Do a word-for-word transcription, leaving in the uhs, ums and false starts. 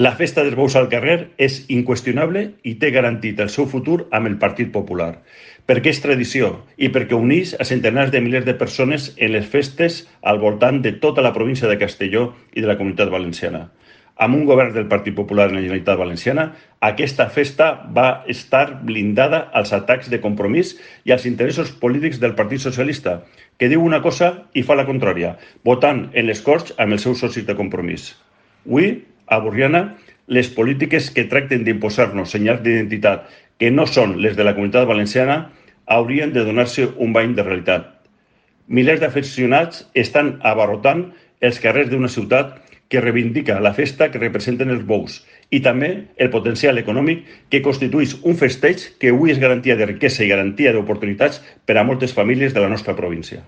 La festa dels bous al carrer és inqüestionable i té garantit el seu futur amb el Partit Popular, perquè és tradició i perquè uneix a centenars de milers de persones en les festes al voltant de tota la província de Castelló i de la Comunitat Valenciana. Amb un govern del Partit Popular en la Generalitat Valenciana, aquesta festa va estar blindada als atacs de Compromís i als interessos polítics del Partit Socialista, que diu una cosa i fa la contrària, votant en les Corts amb els seus socis de Compromís. Avui, a Borriana, les polítiques que tracten d'imposar-nos senyals d'identitat que no són les de la Comunitat Valenciana haurien de donar-se un bany de realitat. Milers d'aficionats estan abarrotant els carrers d'una ciutat que reivindica la festa que representen els bous i també el potencial econòmic que constitueix un festeig que avui és garantia de riquesa i garantia d'oportunitats per a moltes famílies de la nostra província.